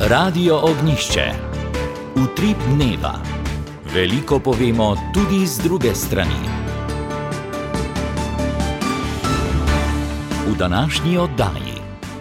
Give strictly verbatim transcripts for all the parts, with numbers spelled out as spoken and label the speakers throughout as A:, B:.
A: Radio Ognjišče. Utrip dneva. Veliko povemo tudi z druge strani. V današnji oddaji.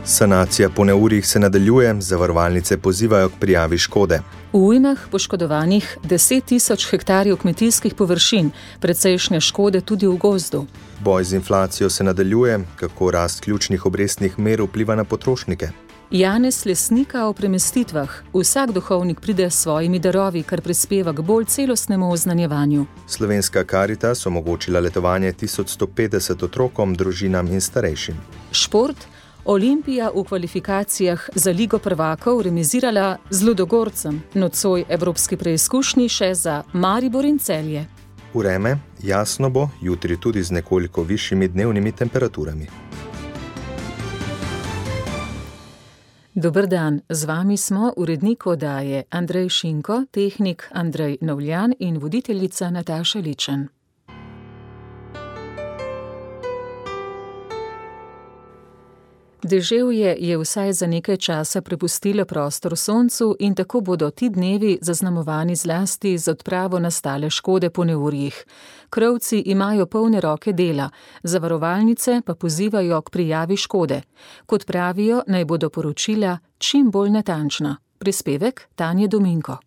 B: Sanacija po neurjih se nadaljuje, zavarovalnice pozivajo k prijavi škode.
C: V ujmah poškodovanih deset tisoč hektarjev kmetijskih površin, precejšnje škode tudi v gozdu.
B: Boj z inflacijo se nadaljuje, kako rast ključnih obrestnih mer vpliva na potrošnike.
C: Janez Lesnika o premestitvah. Vsak duhovnik pride s svojimi darovi, kar prispeva k bolj celostnemu oznanjevanju.
B: Slovenska Karitas omogočila letovanje tisoč sto petdeset otrokom, družinam in starejšim.
C: Šport. Olimpija v kvalifikacijah za Ligo prvakov remizirala z Ludogorcem, nocoj evropski preizkušnji še za Maribor in Celje.
B: Vreme jasno bo, jutri tudi z nekoliko višjimi dnevnimi temperaturami.
C: Dober dan, z vami smo urednik oddaje Andrej Šinko, tehnik Andrej Novljan in voditeljica Nataša Ličen. Deževje je vsaj za nekaj časa prepustilo prostor soncu in tako bodo ti dnevi zaznamovani zlasti z odpravo nastale škode po neurjih. Krovci imajo polne roke dela, zavarovalnice pa pozivajo k prijavi škode. Kot pravijo, naj bodo poročila čim bolj natančna. Prispevek Tanje Dominko.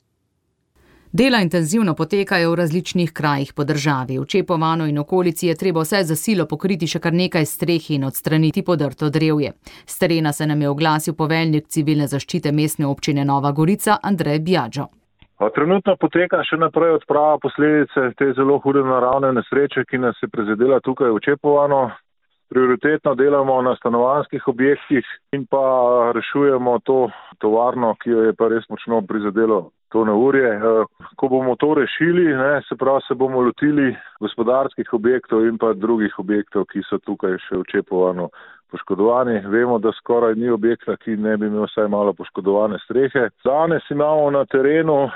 D: Dela intenzivno potekajo v različnih krajih po državi. V Čepovanu in okolici je treba vse za silo pokriti še kar nekaj streh in odstraniti podrto drevje. S terena se nam je oglasil poveljnik civilne zaščite mestne občine Nova Gorica Andrej Bjađo.
E: Trenutno poteka še naprej odprava posledice te zelo hude naravne nesreče, ki nas je prizadela tukaj v Čepovanu. Prioritetno delamo na stanovanjskih objektih in pa rešujemo to tovarno, ki jo je pa res močno prizadelo to neurje. Ko bomo to rešili, ne, se pravi, se bomo lotili gospodarskih objektov in pa drugih objektov, ki so tukaj še v Čepovanu poškodovani. Vemo, da skoraj ni objekta, ki ne bi imel vsaj malo poškodovane strehe. Danes imamo na terenu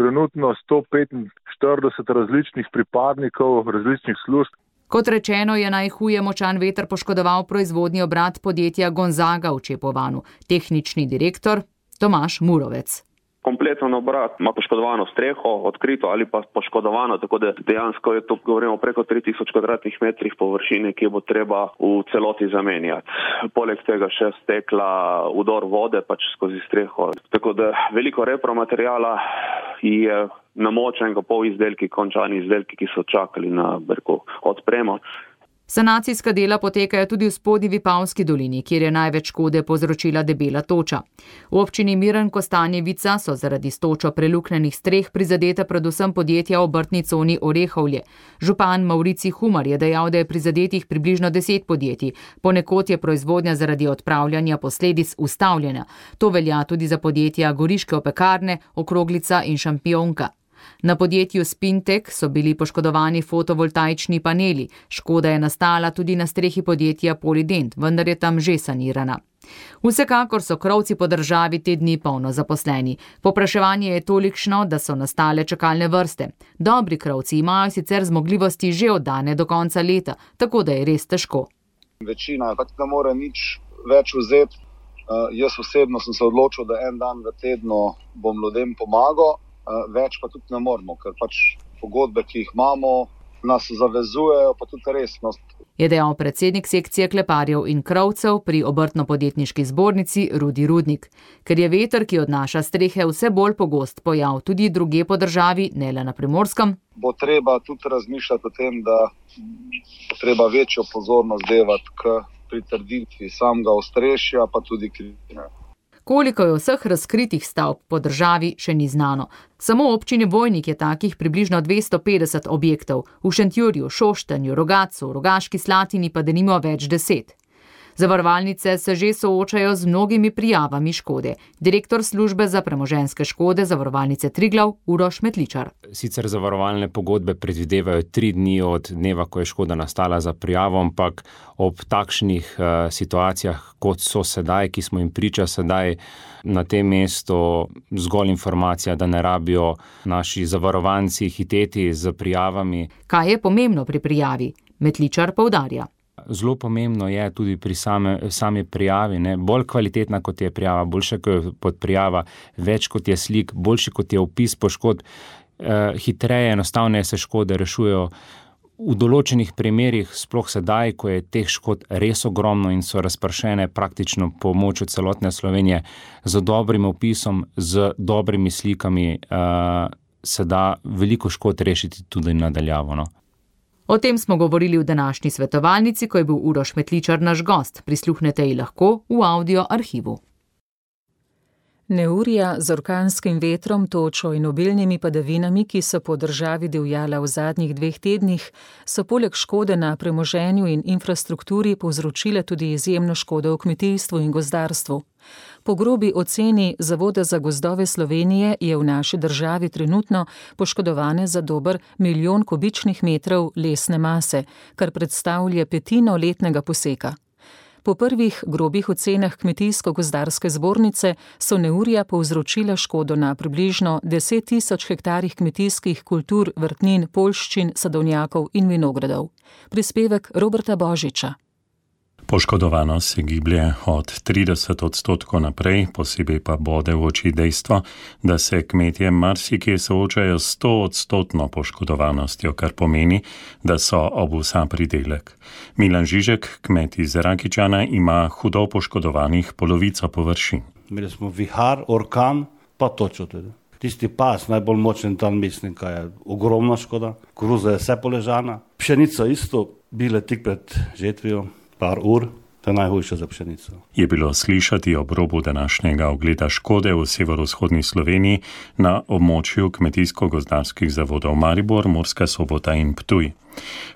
E: trenutno sto petinštirideset različnih pripadnikov različnih služb.
D: Kot rečeno, je najhuje močan veter poškodoval proizvodni obrat podjetja Gonzaga v Čepovanu. Tehnični direktor Tomaž Murovec.
F: Kompletno obrat ima poškodovano streho, odkrito ali pa poškodovano, tako da dejansko je to, govorimo, preko tri tisoč kvadratnih metrih površine, ki bo treba v celoti zamenjati. Poleg tega še stekla udor vode pač skozi streho. Tako da veliko repromaterijala je namočenega pol izdelki, končani izdelki, ki so čakali na brko odpremo.
D: Sanacijska dela potekajo tudi v spodnji Vipavski dolini, kjer je največ škode povzročila debela toča. V občini Miren Kostanjevica so zaradi s točo preluknjenih streh prizadeta predvsem podjetja v obrtni coni Orehovlje. Župan Maurici Humar je dejal, da je prizadetih približno deset podjetij. Ponekod je proizvodnja zaradi odpravljanja posledic ustavljena. To velja tudi za podjetja Goriške opekarne, Okroglica in Šampionka. Na podjetju Spintek so bili poškodovani fotovoltaični paneli. Škoda je nastala tudi na strehi podjetja Polident, vendar je tam že sanirana. Vsekakor so krovci po državi te dni polno zaposleni. Popraševanje je tolikšno, da so nastale čakalne vrste. Dobri krovci imajo sicer zmogljivosti že oddane do konca leta, tako da je res težko.
G: Večina tako ne more nič več vzeti. Uh, jaz osebno sem se odločil, da en dan v tednu bom ljudem pomagal. Več pa tudi ne moramo, ker pač pogodbe, ki jih imamo, nas zavezujejo, pa tudi resnost.
D: Je dejal predsednik sekcije kleparjev in krovcev pri obrtno-podjetniški zbornici Rudi Rudnik. Ker je veter, ki odnaša strehe, vse bolj pogost pojav tudi drugje po državi, ne le na Primorskem,
G: bo treba tudi razmišljati o tem, da treba večjo pozornost devati k pritrditvi samega ostrešja, pa tudi krivine.
D: Koliko je vseh razkritih stavb po državi, še ni znano. Samo v občini Vojnik je takih približno dvesto petdeset objektov, v Šentjurju, Šoštanju, Rogatcu, Rogaški Slatini pa denimo več deset. Zavarovalnice se že soočajo z mnogimi prijavami škode. Direktor službe za premoženjske škode zavarovalnice Triglav Uroš Metličar.
H: Sicer zavarovalne pogodbe predvidevajo tri dni od dneva, ko je škoda nastala za prijavo, ampak ob takšnih uh, situacijah, kot so sedaj, ki smo jim priča sedaj, na tem mestu zgolj informacija, da ne rabijo naši zavarovanci hiteti z prijavami.
D: Kaj je pomembno pri prijavi? Metličar poudarja.
H: Zelo pomembno je tudi pri same, sami prijavi, ne? Bolj kvalitetna kot je prijava, boljša kot prijava, več kot je slik, boljši kot je opis poškodb, eh, hitreje, enostavneje se škode rešujejo. V določenih primerih, sploh sedaj, ko je teh škod res ogromno in so razpršene praktično po območju celotne Slovenije, z dobrim opisom, z dobrimi slikami, uh, se da veliko škod rešiti tudi nadaljavo. No?
D: O tem smo govorili v današnji svetovalnici, ko je bil Uroš Metličar naš gost. Prisluhnete ji lahko v audio arhivu.
C: Neurja z orkanskim vetrom, točo in obilnimi padavinami, ki so po državi divjala v zadnjih dveh tednih, so poleg škode na premoženju in infrastrukturi povzročile tudi izjemno škodo v kmetijstvu in gozdarstvu. Po grobi oceni Zavoda za gozdove Slovenije je v naši državi trenutno poškodovane za dober milijon kubičnih metrov lesne mase, kar predstavlja petino letnega poseka. Po prvih grobih ocenah Kmetijsko-gozdarske zbornice so neurja povzročila škodo na približno deset tisoč hektarjih kmetijskih kultur, vrtnin, poljščin, sadovnjakov in vinogradov. Prispevek Roberta Božiča.
I: Poškodovanost se giblje od trideset odstotkov naprej, posebej pa bode v oči dejstvo, da se kmetje marsikje soočajo s sto odstotno poškodovanostjo, kar pomeni, da so ob vsa pridelek. Milan Žižek, kmet iz Rakičana, ima hudo poškodovanih polovico površin.
J: Imeli smo vihar, orkan, pa točo tudi. Tisti pas, najbolj močen dan mislim, kaj je ogromna škoda. Koruza je vse poležana. Pšenica isto, bile tik pred žetvijo. Par ur, to je najhujše za pšenico.
I: Je bilo slišati ob robu današnjega ogleda škode v severovzhodni Sloveniji na območju kmetijsko-gozdarskih zavodov Maribor, Murska Sobota in Ptuj.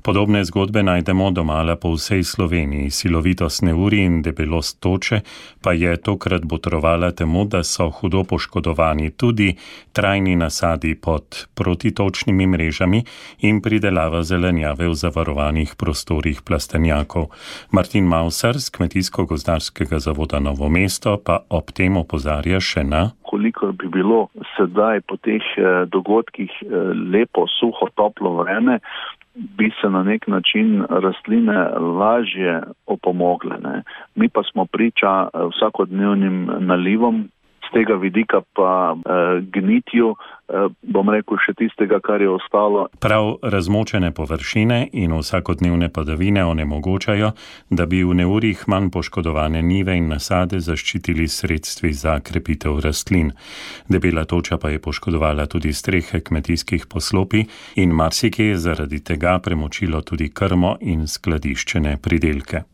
I: Podobne zgodbe najdemo domala po vsej Sloveniji. Silovitost neurij in debelost toče pa je tokrat botrovala temu, da so hudo poškodovani tudi trajni nasadi pod protitočnimi mrežami in pridelava zelenjave v zavarovanih prostorih plastenjakov. Martin Mausar z Kmetijsko-gozdarskega zavoda Novo mesto pa ob tem opozarja še na:
K: koliko bi bilo sedaj po teh dogodkih lepo, suho, toplo vreme, bi se na nek način rastline lažje opomogle. Ne. Mi pa smo priča vsakodnevnim nalivom, z tega vidika pa eh, gnitju, eh, bom rekel, še tistega, kar je ostalo.
I: Prav razmočene površine in vsakodnevne padavine onemogočajo, da bi v neurjih manj poškodovane njive in nasade zaščitili sredstvi za krepitev rastlin. Debela toča pa je poškodovala tudi strehe kmetijskih poslopij in marsikje je zaradi tega premočilo tudi krmo in skladiščene pridelke.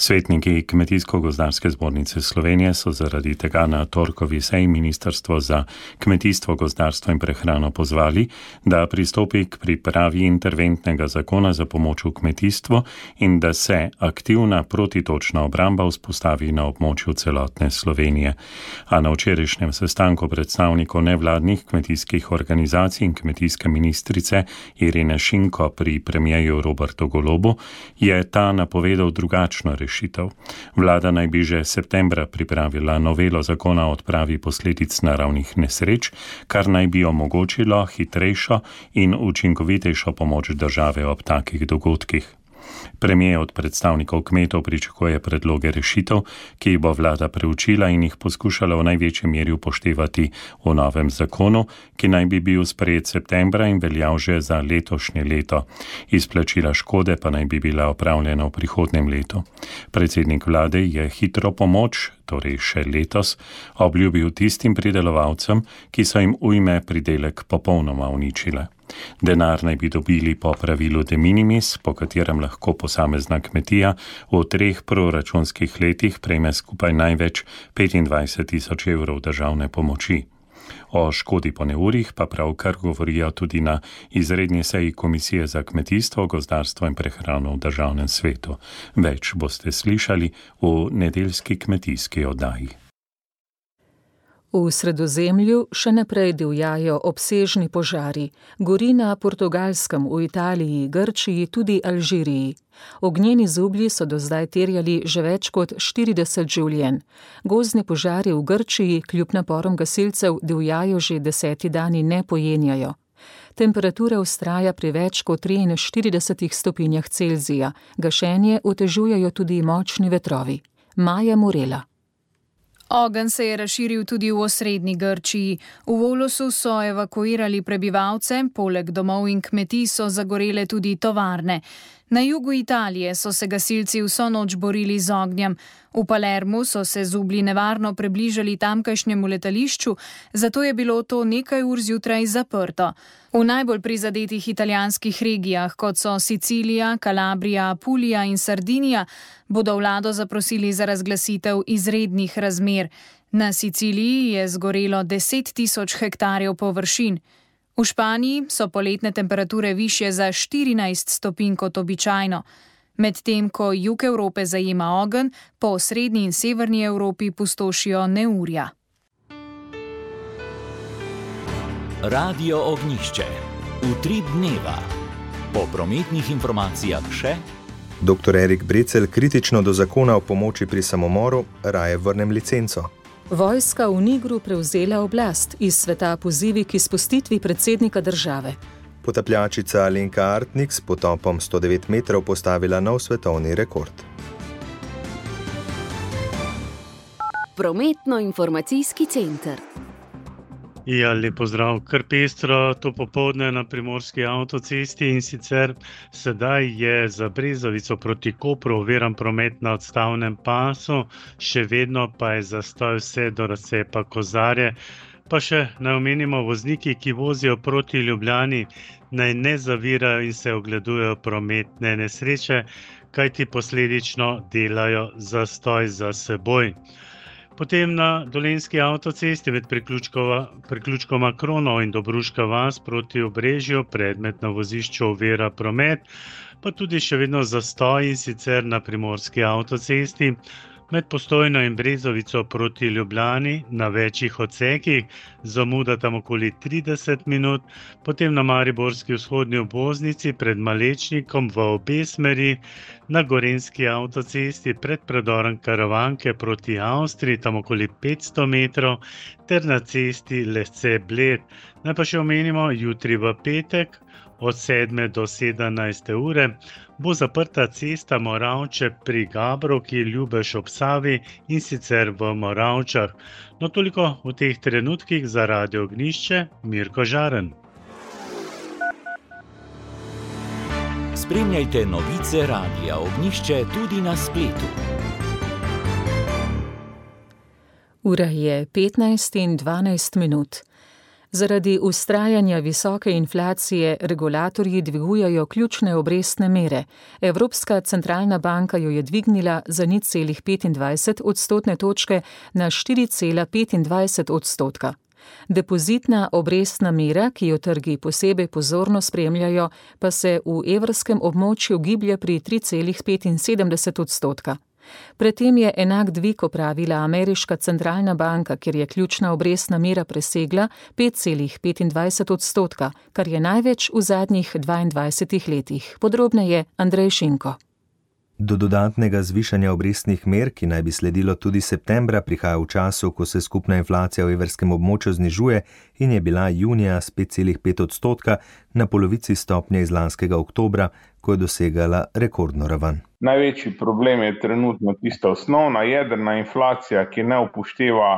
I: Svetniki Kmetijsko-gozdarske zbornice Slovenije so zaradi tega na torkovi seji Ministrstvo za kmetijstvo, gozdarstvo in prehrano pozvali, da pristopi k pripravi interventnega zakona za pomoč v kmetijstvu in da se aktivna protitočna obramba vzpostavi na območju celotne Slovenije. A na včerajšnjem sestanku predstavnikov nevladnih kmetijskih organizacij in kmetijske ministrice Irine Šinko pri premierju Robertu Golobu je ta napovedal drugačno rešitev. Vlada naj bi že septembra pripravila novelo zakona o odpravi posledic naravnih nesreč, kar naj bi omogočilo hitrejšo in učinkovitejšo pomoč države ob takih dogodkih. Premier od predstavnikov kmetov pričakuje predloge rešitev, ki jih bo vlada preučila in jih poskušala v največji meri upoštevati v novem zakonu, ki naj bi bil sprejet septembra in veljal že za letošnje leto. Izplačila škode pa naj bi bila opravljena v prihodnjem letu. Predsednik vlade je hitro pomoč, torej še letos, obljubil tistim pridelovalcem, ki so jim ujme pridelek popolnoma uničile. Denar naj bi dobili po pravilu de minimis, po katerem lahko posamezna kmetija v treh proračunskih letih prejme skupaj največ petindvajset tisoč evrov državne pomoči. O škodi po neurjih pa pravkar govorijo tudi na izredni seji Komisije za kmetijstvo, gozdarstvo in prehrano v državnem svetu. Več boste slišali v nedeljski kmetijski oddaji.
C: V Sredozemlju še naprej divjajo obsežni požari. Gori na Portugalskem, v Italiji, Grčiji, tudi Alžiriji. Ognjeni zublji so do zdaj terjali že več kot štirideset življenj. Gozdni požari v Grčiji kljub naporom gasilcev divjajo že deseti dan in ne pojenjajo. Temperatura vztraja pri več kot triinštiridesetih stopinjah Celzija. Gašenje otežujejo tudi močni vetrovi. Maja Morela.
L: Ogenj se je razširil tudi v osrednji Grčiji. V Volosu so evakuirali prebivalce, poleg domov in kmetij so zagorele tudi tovarne. Na jugu Italije so se gasilci vso noč borili z ognjem. V Palermu so se zublji nevarno približali tamkajšnjemu letališču, zato je bilo to nekaj ur zjutraj zaprto. V najbolj prizadetih italijanskih regijah, kot so Sicilija, Kalabrija, Apulija in Sardinija, bodo vlado zaprosili za razglasitev izrednih razmer. Na Siciliji je zgorelo deset tisoč hektarjev površin. V Španiji so poletne temperature višje za štirinajst stopinj kot običajno. Medtem ko jug Evrope zajema ogenj, po srednji in severni Evropi pustošijo neurja.
A: Radio Ognjišče. Utrip dneva. Po prometnih informacijah še.
B: Doktor Erik Brecelj kritično do zakona o pomoči pri samomoru, raje vrnem licenco.
C: Vojska v Nigru prevzela oblast, iz sveta pozivi k izpustitvi predsednika države.
B: Potapljačica Alenka Artnik s potopom sto devet metrov postavila nov svetovni rekord.
M: Prometno-informacijski center.
N: Ja, lep pozdrav. Kar pestro to popoldne na primorski avtocesti, in sicer sedaj je za Brezovico proti Kopru oviran promet na odstavnem pasu, še vedno pa je zastoj vse do razcepa Kozarje. Pa še naj omenimo vozniki, ki vozijo proti Ljubljani, naj ne zavirajo in se ogledujejo prometne nesreče, kajti posledično delajo zastoj za seboj. Potem na Dolenjski avtocesti med priključkoma Krono in Dobruška vas proti Obrežju predmet na vozišču ovira promet, pa tudi še vedno zastoj, in sicer na primorski avtocesti med Postojno in Brezovico proti Ljubljani na večjih odsekih, zamuda tam okoli trideset minut, potem na mariborski vzhodni obvoznici pred Malečnikom v obe smeri, na Gorenjski avtocesti pred predorom Karavanke proti Avstriji, tam okoli petsto metrov, ter na cesti Lesce-Bled. Naj pa še omenimo, jutri v petek od sedme do sedemnajste ure bo zaprta cesta Moravče pri Gabrovki, Ljubeš ob Savi, in sicer v Moravčah. No, toliko v teh trenutkih za Radio Ognjišče, Mirko Žaren.
A: Spremljajte novice Radia Ognjišče tudi na spletu.
C: Ura je petnajst in dvanajst minut. Zaradi vztrajanja visoke inflacije regulatorji dvigujejo ključne obrestne mere. Evropska centralna banka jo je dvignila za nič celih petindvajset odstotne točke na štiri cela petindvajset odstotka. Depozitna obrestna mera, ki jo trgi posebej pozorno spremljajo, pa se v evrskem območju giblje pri tri celih petinsedemdeset odstotka. Predtem je enak dvig opravila ameriška centralna banka, kjer je ključna obrestna mera presegla pet celih petindvajset odstotka, kar je največ v zadnjih dvaindvajsetih letih. Podrobneje Andrej Šinko.
B: Do dodatnega zvišanja obrestnih mer, ki naj bi sledilo tudi septembra, prihaja v času, ko se skupna inflacija v evrskem območju znižuje in je bila junija s pet celih pet odstotka na polovici stopnje iz lanskega oktobra, ko je dosegala rekordno raven.
O: Največji problem je trenutno tista osnovna jedrna inflacija, ki ne upošteva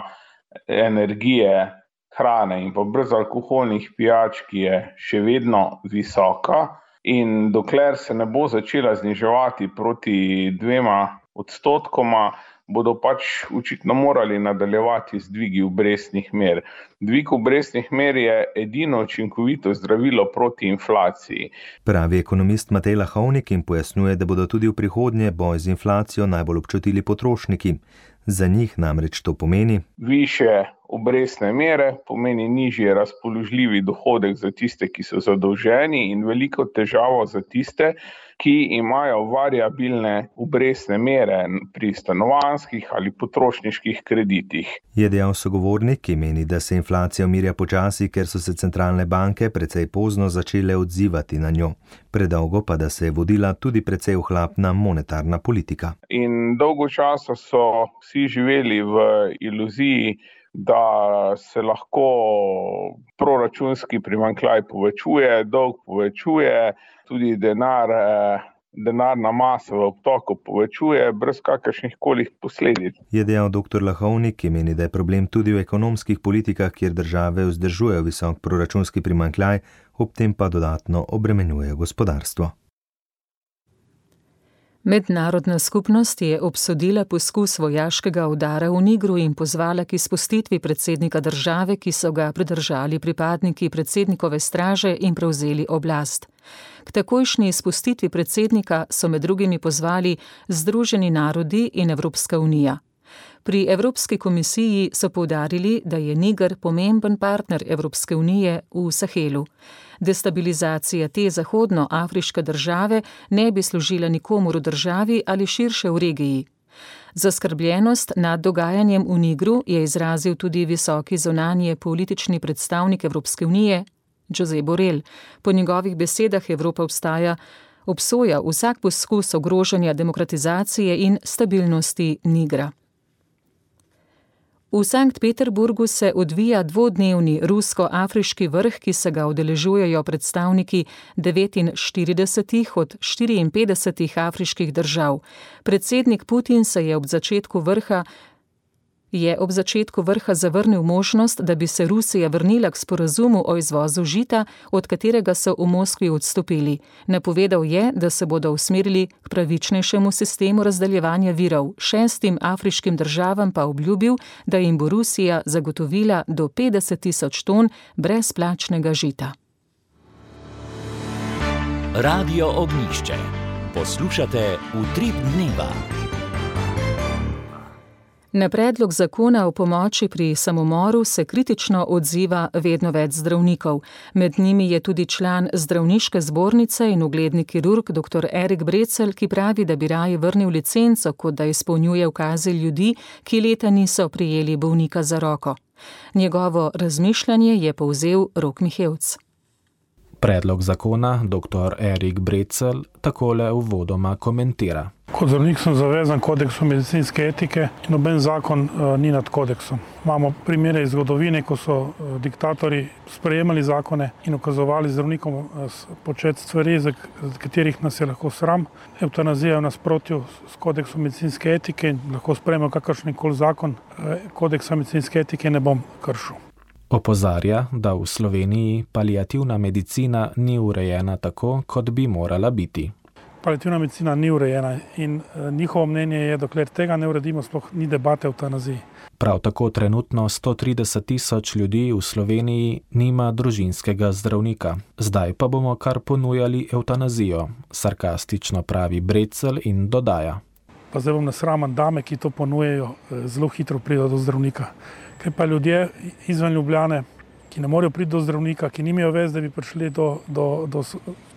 O: energije, hrane in pa brezalkoholnih pijač, ki je še vedno visoka. In dokler se ne bo začela zniževati proti dvema odstotkoma, bodo pač očitno morali nadaljevati z dvigi obrestnih mer. Dvig obrestnih mer je edino učinkovito zdravilo proti inflaciji.
B: Pravi ekonomist Matej Lahovnik in pojasnjuje, da bodo tudi v prihodnje boj z inflacijo najbolj občutili potrošniki. Za njih namreč to pomeni
O: višje obrestne mere, pomeni nižji razpoložljivi dohodek za tiste, ki so zadolženi, in veliko težavo za tiste, ki imajo variabilne obrestne mere pri stanovanjskih ali potrošniških kreditih.
B: Je dejal sogovornik, ki meni, da se inflacija umirja počasi, ker so se centralne banke precej pozno začele odzivati na njo. Predolgo pa, da se je vodila tudi precej ohlapna monetarna politika.
O: In dolgo časa so vsi živeli v iluziji da se lahko proračunski primanjkljaj povečuje, dolg povečuje, tudi denar, denarna masa v obtoku povečuje brez kakršnih koli posledic.
B: Je dejal doktor Lahovnik, ki meni, da je problem tudi v ekonomskih politikah, kjer države vzdržujejo visok proračunski primanjkljaj, ob tem pa dodatno obremenjuje gospodarstvo.
C: Mednarodna skupnost je obsodila poskus vojaškega udara v Nigru in pozvala k izpustitvi predsednika države, ki so ga pridržali pripadniki predsednikove straže in prevzeli oblast. K takojšnji izpustitvi predsednika so med drugimi pozvali Združeni narodi in Evropska unija. Pri Evropski komisiji so poudarili, da je Niger pomemben partner Evropske unije v Sahelu. Destabilizacija te zahodnoafriške države ne bi služila nikomur v državi ali širše v regiji. Zaskrbljenost nad dogajanjem v Nigru je izrazil tudi visoki zunanji politični predstavnik Evropske unije, Josep Borrell. Po njegovih besedah Evropa obstaja, obsoja vsak poskus ogrožanja demokratizacije in stabilnosti Nigra. V Sankt Peterburgu se odvija dvodnevni rusko-afriški vrh, ki se ga udeležujejo predstavniki devetinštiridesetih od štiriinpetdesetih afriških držav. Predsednik Putin se je ob začetku vrha je ob začetku vrha zavrnil možnost, da bi se Rusija vrnila k sporazumu o izvozu žita, od katerega so v Moskvi odstopili. Napovedal je, da se bodo usmerili k pravičnejšemu sistemu razdeljevanja virov. Šestim afriškim državam pa obljubil, da jim bo Rusija zagotovila do petdeset tisoč ton brezplačnega žita.
A: Radio Ognjišče. Poslušate Utrip dneva.
C: Na predlog zakona o pomoči pri samomoru se kritično odziva vedno več zdravnikov. Med njimi je tudi član zdravniške zbornice in ugledni kirurg dr. Erik Brecelj, ki pravi, da bi raje vrnil licenco, kot da izpolnjuje ukaze ljudi, ki leta niso prijeli bolnika za roko. Njegovo razmišljanje je povzel Rok Mihevc.
P: Predlog zakona dr. Erik Brecelj takole uvodoma komentira.
Q: Kot zdravnik sem zavezan kodeksu medicinske etike in noben zakon uh, ni nad kodeksom. Imamo primere iz zgodovine, ko so uh, diktatorji sprejemali zakone in ukazovali zdravnikom uh, početi stvari, za katerih nas je lahko sram. Eutanazija je v nasprotju s kodeksom medicinske etike in lahko sprejmemo kakršenkoli zakon. Uh, kodeksa medicinske etike ne bom kršil.
P: Opozarja, da v Sloveniji paliativna medicina ni urejena tako, kot bi morala biti.
Q: Paliativna medicina ni urejena in njihovo mnenje je, dokler tega ne uredimo, sploh ni debate o eutanaziji.
P: Prav tako trenutno sto trideset tisoč ljudi v Sloveniji nima družinskega zdravnika. Zdaj pa bomo kar ponujali eutanazijo, sarkastično pravi Brecelj in dodaja.
Q: Pa zdaj bom nasraman, dame, ki to ponujejo, zelo hitro pridejo do zdravnika. Kaj pa ljudje izven Ljubljane, ki ne morejo priti do zdravnika, ki nimajo vez, da bi prišli do, do, do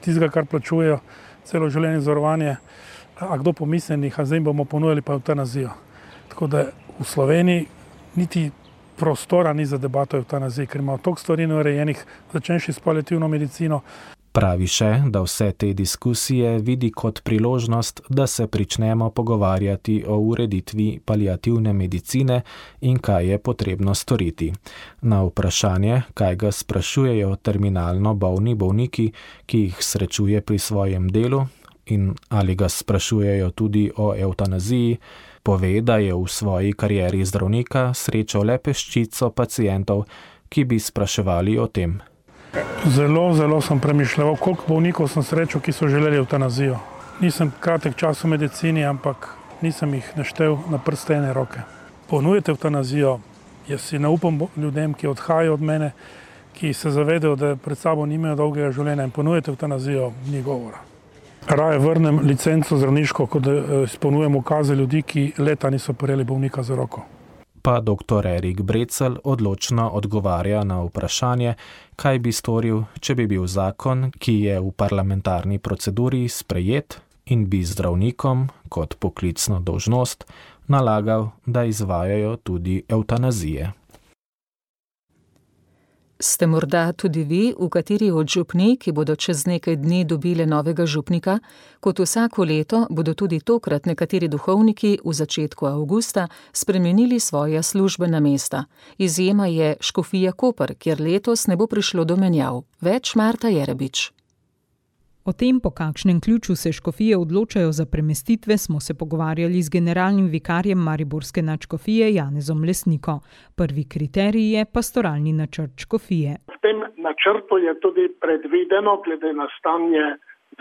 Q: tistega, kar plačujejo celo življenje zavarovanje, a kdo pomislenih, a zdaj bomo ponujali pa eutanazijo. Tako da v Sloveniji niti prostora ni za debato o eutanaziji, ker imamo toliko stvari neurejenih, začenši s paliativno medicino.
P: Pravi še, da vse te diskusije vidi kot priložnost, da se pričnemo pogovarjati o ureditvi paliativne medicine in kaj je potrebno storiti. Na vprašanje, kaj ga sprašujejo terminalno bolni bolniki, ki jih srečuje pri svojem delu, in ali ga sprašujejo tudi o eutanaziji, pove, da je v svoji karieri zdravnika srečal le peščico pacientov, ki bi spraševali o tem.
Q: Zelo, zelo sem premišljal, koliko bolnikov sem srečal, ki so želeli eutanazijo. Nisem kratek čas v medicini, ampak nisem jih naštel na prste ene roke. Ponujete eutanazijo, jaz si ne upam ljudem, ki odhajajo od mene, ki se zavedajo, da pred sabo nimajo dolgega življenja in ponujete eutanazijo, ni govora. Raje vrnem licenco zdravniško, kot da izpolnjujem ukaze ljudi, ki leta niso prijeli bolnika za roko.
P: Pa dr. Erik Brecelj odločno odgovarja na vprašanje, kaj bi storil, če bi bil zakon, ki je v parlamentarni proceduri sprejet in bi zdravnikom kot poklicno dolžnost nalagal, da izvajajo tudi eutanazije.
C: Ste morda tudi vi v kateri od župnij, ki bodo čez nekaj dni dobile novega župnika? Kot vsako leto bodo tudi tokrat nekateri duhovniki v začetku avgusta spremenili svoja službena mesta. Izjema je Škofija Koper, kjer letos ne bo prišlo do menjav. Več Marta Jerebič.
R: O tem, po kakšnem ključu se škofije odločajo za premestitve, smo se pogovarjali z generalnim vikarjem mariborske nadškofije Janezom Lesniko. Prvi kriterij je pastoralni načrt škofije.
S: V tem načrtu je tudi predvideno, glede na stanje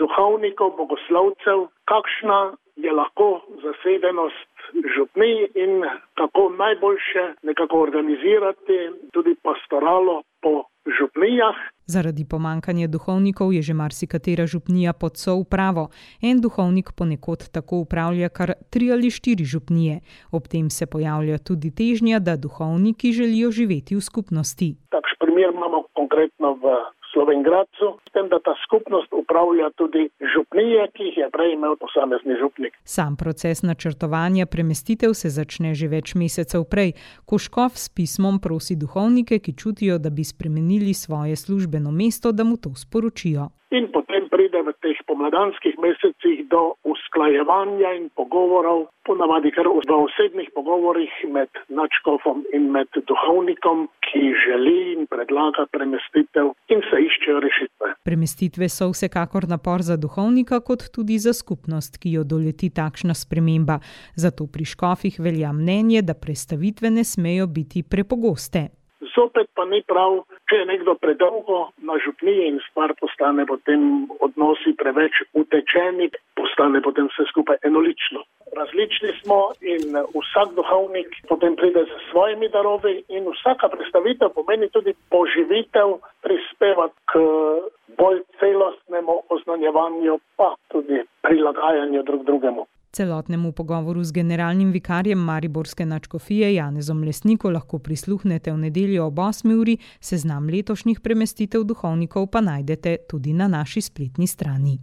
S: duhovnikov, bogoslovcev, kakšna je lahko zasedenost župnij in kako najboljše nekako organizirati tudi pastoralo po župnijah.
R: Zaradi pomankanja duhovnikov je že marsikatera župnija pod soupravo. En duhovnik ponekod tako upravlja kar tri ali štiri župnije. Ob tem se pojavlja tudi težnja, da duhovniki želijo živeti v skupnosti.
S: Takšen primer imamo konkretno v Slovenj Gradcu, s tem, da ta skupnost upravlja tudi župnije, ki jih je prej imel posamezni župnik.
R: Sam proces načrtovanja premestitev se začne že več mesecev prej, ko škof s pismom prosi duhovnike, ki čutijo, da bi spremenili svoje službeno mesto, da mu to sporočijo.
S: In potem pride v teh pomladanskih mesecih do usklajevanja in pogovorov, ponavadi kar v osebnih pogovorih med nadškofom in med duhovnikom, ki želi in predlaga premestitev in se iščejo rešitve.
R: Premestitve so vsekakor napor za duhovnika, kot tudi za skupnost, ki jo doleti takšna sprememba. Zato pri škofih velja mnenje, da prestavitve ne smejo biti prepogoste.
S: Zopet pa ni prav, če je nekdo predolgo na župniji in stvar postane potem odnosi preveč utečeni, postane potem vse skupaj enolično. Različni smo in vsak duhovnik potem pride s svojimi darovi in vsaka predstavitev pomeni tudi poživitev, prispeva k bolj celostnemu oznanjevanju, pa tudi prilagajanju drug drugemu.
R: Celotnemu pogovoru z generalnim vikarjem mariborske nadškofije Janezom Lesniko lahko prisluhnete v nedeljo ob osmi uri, seznam letošnjih premestitev duhovnikov pa najdete tudi na naši spletni strani.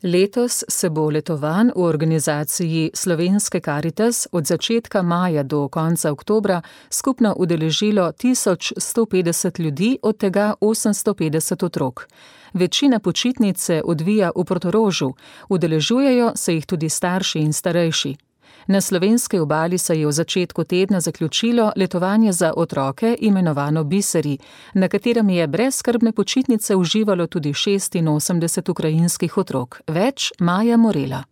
C: Letos se bo letovanj v organizaciji Slovenske Karitas od začetka maja do konca oktobra skupno udeležilo tisoč sto petdeset ljudi, od tega osemsto petdeset otrok. Večina počitnic se odvija v Portorožu, udeležujejo se jih tudi starši in starejši. Na slovenski obali se je v začetku tedna zaključilo letovanje za otroke, imenovano Biseri, na katerem je brezskrbne počitnice uživalo tudi šestinosemdeset ukrajinskih otrok. Več Maja Morela.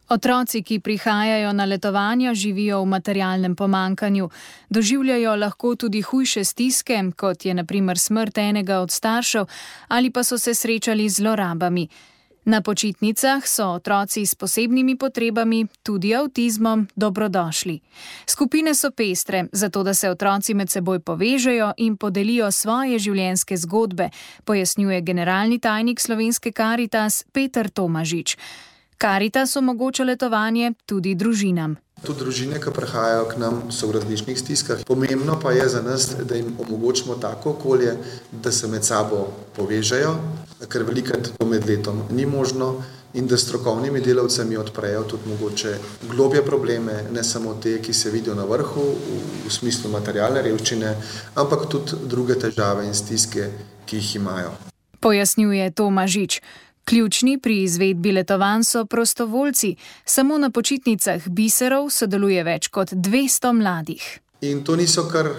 L: Otroci, ki prihajajo na letovanja, živijo v materialnem pomankanju. Doživljajo lahko tudi hujše stiske, kot je na primer smrt enega od staršev, ali pa so se srečali z zlorabami. Na počitnicah so otroci s posebnimi potrebami, tudi avtizmom, dobrodošli. Skupine so pestre, zato da se otroci med seboj povežejo in podelijo svoje življenjske zgodbe, pojasnjuje generalni tajnik Slovenske Karitas Peter Tomažič. Karitas omogoča letovanje tudi družinam.
T: Tudi družine, ki prihajajo k nam, so v različnih stiskah. Pomembno pa je za nas, da jim omogočimo tako okolje, da se med sabo povežejo, ker velikrat to med letom ni možno, in da strokovnimi delavcami odprejo tudi mogoče globje probleme, ne samo te, ki se vidijo na vrhu, v smislu materialne revščine, ampak tudi druge težave in stiske, ki jih imajo.
L: Pojasnjuje Tomažič. Ključni pri izvedbi letovanj so prostovoljci. Samo na počitnicah Biserov sodeluje več kot dvesto mladih.
T: In to niso kar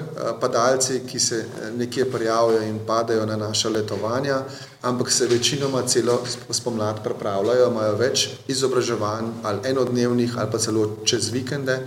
T: padalci, ki se nekje prijavijo in padajo na naša letovanja, ampak se večinoma celo spomlad pripravljajo, imajo več izobraževanj ali enodnevnih ali pa celo čez vikende,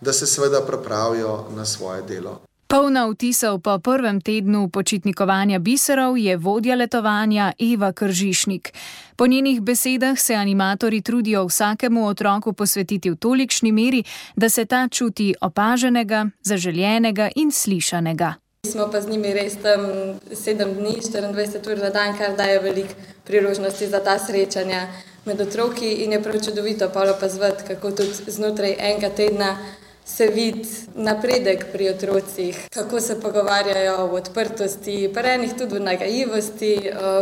T: da se seveda pripravijo na svoje delo.
L: Polna vtisov po prvem tednu počitnikovanja Biserov je vodja letovanja Eva Kržišnik. Po njenih besedah se animatorji trudijo vsakemu otroku posvetiti v tolikšni meri, da se ta čuti opaženega, zaželjenega in slišanega.
U: Smo pa z njimi res tam sedem dni, štiriindvajset ur na dan, kar daje veliko priložnosti za ta srečanja med otroki in je prav čudovito pa opazovati, kako tudi znotraj enega tedna se vidi napredek pri otrocih, kako se pogovarjajo v odprtosti, pri enih tudi v nagajivosti,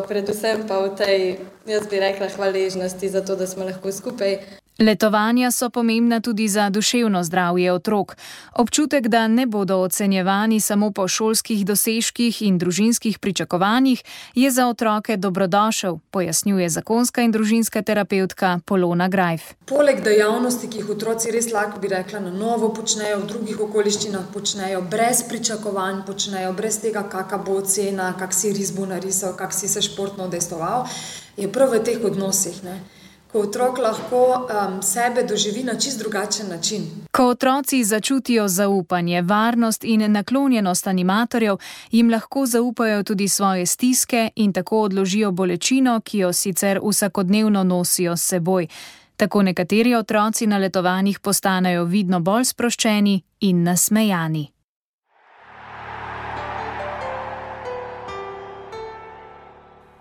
U: predvsem pa v tej, jaz bi rekla, hvaležnosti za to, da smo lahko skupaj.
L: Letovanja so pomembna tudi za duševno zdravje otrok. Občutek, da ne bodo ocenjevani samo po šolskih dosežkih in družinskih pričakovanjih, je za otroke dobrodošel, pojasnjuje zakonska in družinska terapevtka Polona Grajf.
E: Poleg dejavnosti, ki jih otroci res lahko bi rekla na novo počnejo, v drugih okoliščinah počnejo, brez pričakovanj počnejo, brez tega, kakšna bo ocena, kak si ris bo narisal, kak si se športno udejstvoval, je prav v teh odnosih, ne? Ko otrok lahko um, sebe doživi na čist drugačen način.
L: Ko otroci začutijo zaupanje, varnost in naklonjenost animatorjev, jim lahko zaupajo tudi svoje stiske in tako odložijo bolečino, ki jo sicer vsakodnevno nosijo s seboj. Tako nekateri otroci na letovanjih postanejo vidno bolj sproščeni in nasmejani.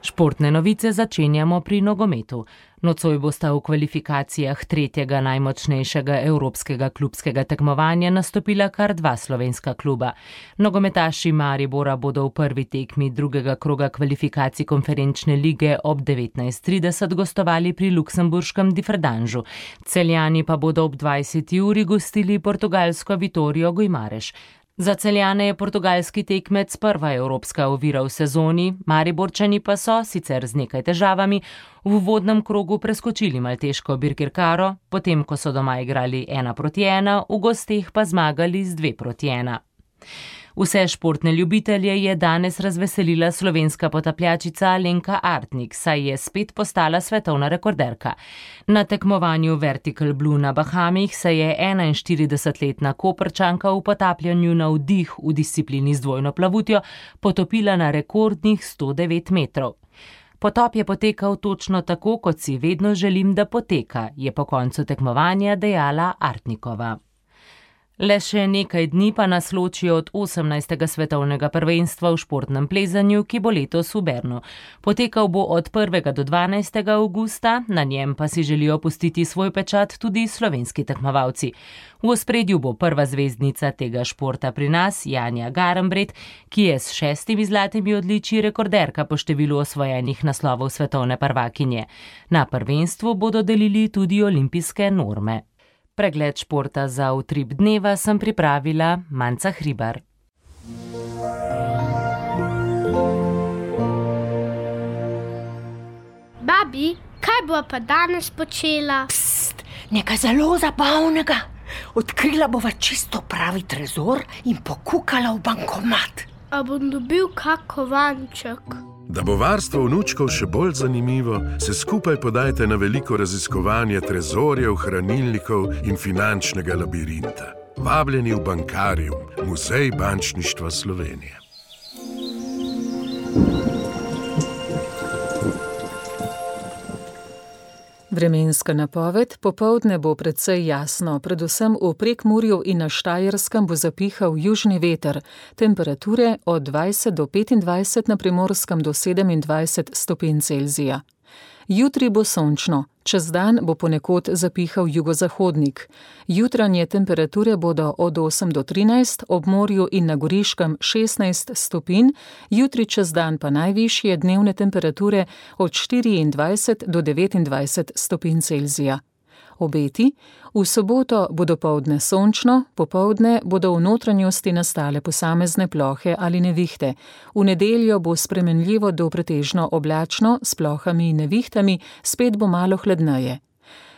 V: Športne novice začenjamo pri nogometu. Nocoj bosta v kvalifikacijah tretjega najmočnejšega evropskega klubskega tekmovanja nastopila kar dva slovenska kluba. Nogometaši Maribora bodo v prvi tekmi drugega kroga kvalifikacij konferenčne lige ob devetnajst trideset gostovali pri luksemburškem Differdanžu. Celjani pa bodo ob dvajseti uri gostili portugalsko Vitório Guimarães. Za Celjane je portugalski tekmec prva evropska ovira v sezoni, Mariborčani pa so, sicer z nekaj težavami, v uvodnem krogu preskočili malteško Birkirkaro, potem ko so doma igrali ena proti ena, v gosteh pa zmagali z dve proti ena. Vse športne ljubitelje je danes razveselila slovenska potapljačica Alenka Artnik, saj je spet postala svetovna rekorderka. Na tekmovanju Vertical Blue na Bahamih se je enainštiridesetletna Koprčanka v potapljanju na vdih v disciplini z dvojno plavutjo potopila na rekordnih sto devet metrov. Potop je potekal točno tako, kot si vedno želim, da poteka, je po koncu tekmovanja dejala Artnikova. Le še nekaj dni pa nas loči od osemnajstega svetovnega prvenstva v športnem plezanju, ki bo letos v Bernu. Potekal bo od prvega do dvanajstega avgusta, na njem pa si želijo pustiti svoj pečat tudi slovenski tekmovalci. V ospredju bo prva zvezdnica tega športa pri nas, Janja Garnbret, ki je s šestimi zlatimi odličji rekorderka po številu osvojenih naslovov svetovne prvakinje. Na prvenstvu bodo delili tudi olimpijske norme. Pregled športa za utrip dneva sem pripravila Manca Hribar.
W: Babi, kaj bo pa danes počela?
X: Pst, nekaj zelo zabavnega. Odkrila bova čisto pravi trezor in pokukala v bankomat.
W: A bom dobil kak kovanček?
Y: Da bo varstvo vnučkov še bolj zanimivo, se skupaj podajte na veliko raziskovanje trezorjev, hranilnikov in finančnega labirinta. Vabljeni v Bankarium, Muzej bančništva Slovenije.
C: Vremenska napoved: popoldne bo precej jasno, predvsem v Prekmurju in na Štajerskem bo zapihal južni veter, temperature od dvajset do petindvajset, na Primorskem do sedemindvajset stopinj Celzija. Jutri bo sončno, čez dan bo ponekod zapihal jugozahodnik. Jutranje temperature bodo od osem do trinajst, ob morju in na Goriškem šestnajst stopinj, jutri čez dan pa najvišje dnevne temperature od štiriindvajset do devetindvajset stopinj Celzija. Obeti: v soboto bo dopoldne sončno, popoldne bodo v notranjosti nastale posamezne plohe ali nevihte. V nedeljo bo spremenljivo do pretežno oblačno, s plohami in nevihtami, spet bo malo hladneje.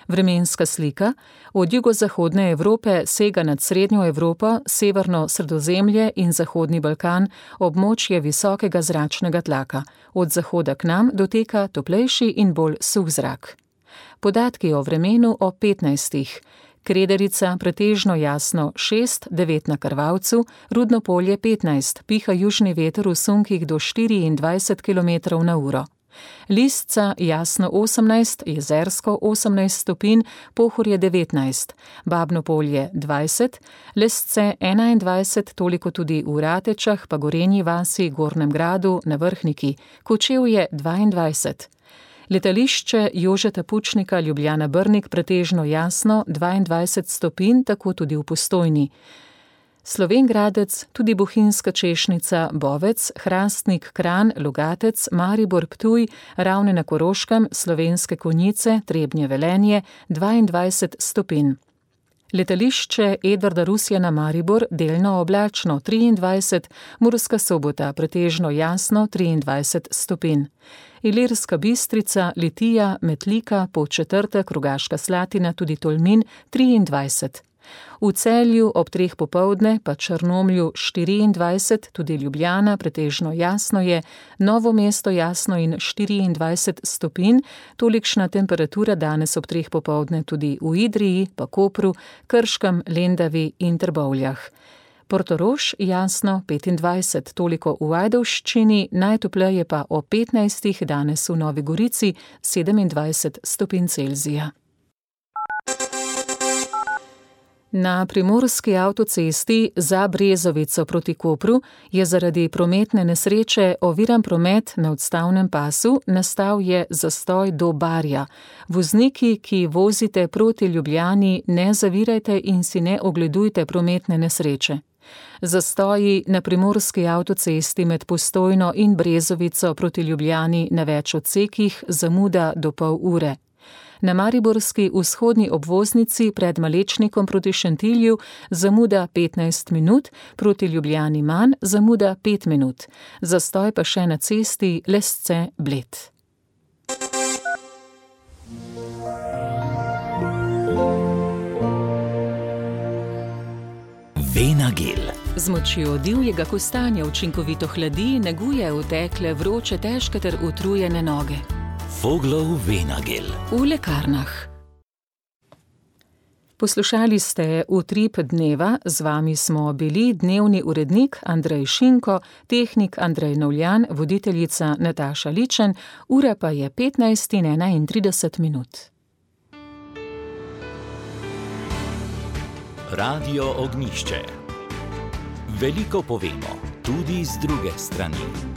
C: Vremenska slika: od jugozahodne Evrope sega nad srednjo Evropo, severno Sredozemlje in zahodni Balkan območje visokega zračnega tlaka. Od zahoda k nam doteka toplejši in bolj suh zrak. Podatki o vremenu o petnajstih. Krederica pretežno jasno šest, devet na Krvavcu, Rudno Polje petnajst, piha južni veter v sunkih do štiriindvajset kilometrov na uro. Listca jasno osemnajst, Jezersko osemnajst stopinj, Pohorje devetnajst, Babno Polje dvajset, Lesce enaindvajset, toliko tudi v Ratečah, pa Gorenji vasi, Gornjem Gradu, na Vrhniki, Kočevje dvaindvajset. Letališče Jožeta Pučnika Ljubljana Brnik pretežno jasno dvaindvajset stopinj, tako tudi v Postojni. Slovengradec, tudi Bohinjska češnica, Bovec, Hrastnik, Kranj, Logatec, Maribor, Ptuj, Ravne na Koroškem, Slovenske Konjice, Trebnje, Velenje, dvaindvajset stopinj. Letališče Edvarda Rusjana Maribor, delno oblačno triindvajset, Murska Sobota, pretežno jasno triindvajset stopinj. Ilirska Bistrica, Litija, Metlika, Podčetrtek, Rogaška Slatina, tudi Tolmin triindvajset. V Celju ob treh popoldne pa Črnomlju štiriindvajset, tudi Ljubljana, pretežno jasno je, Novo mesto jasno in štiriindvajset stopinj, tolikšna temperatura danes ob treh popoldne tudi v Idriji, pa Kopru, Krškem, Lendavi in Trbovljah. Portorož jasno petindvajset, toliko v Ajdovščini, najtopleje pa o petnajstih danes v Novi Gorici sedemindvajset stopinj Celzija. Na primorski avtocesti za Brezovico proti Kopru je zaradi prometne nesreče oviran promet na odstavnem pasu, nastal je zastoj do Barja. Vozniki, ki vozite proti Ljubljani, ne zavirajte in si ne ogledujte prometne nesreče. Zastoji na primorski avtocesti med Postojno in Brezovico proti Ljubljani na več odsekih, zamuda do pol ure. Na mariborski vzhodni obvoznici pred Malečnikom proti Šentilju zamuda petnajst minut, proti Ljubljani manj, zamuda pet minut. Zastoj pa še na cesti Lesce-Bled.
A: Venagel.
C: Z močjo divjega kostanja učinkovito hladi, neguje otekle, vroče, težke ter utrujene noge.
A: Voglov Venagel.
C: V lekarnah. Poslušali ste Utrip dneva, z vami smo bili dnevni urednik Andrej Šinko, tehnik Andrej Novljan, voditeljica Nataša Ličen, ura pa je petnajst in enaintrideset minut.
A: Radio Ognjišče. Veliko povemo, tudi z druge strani.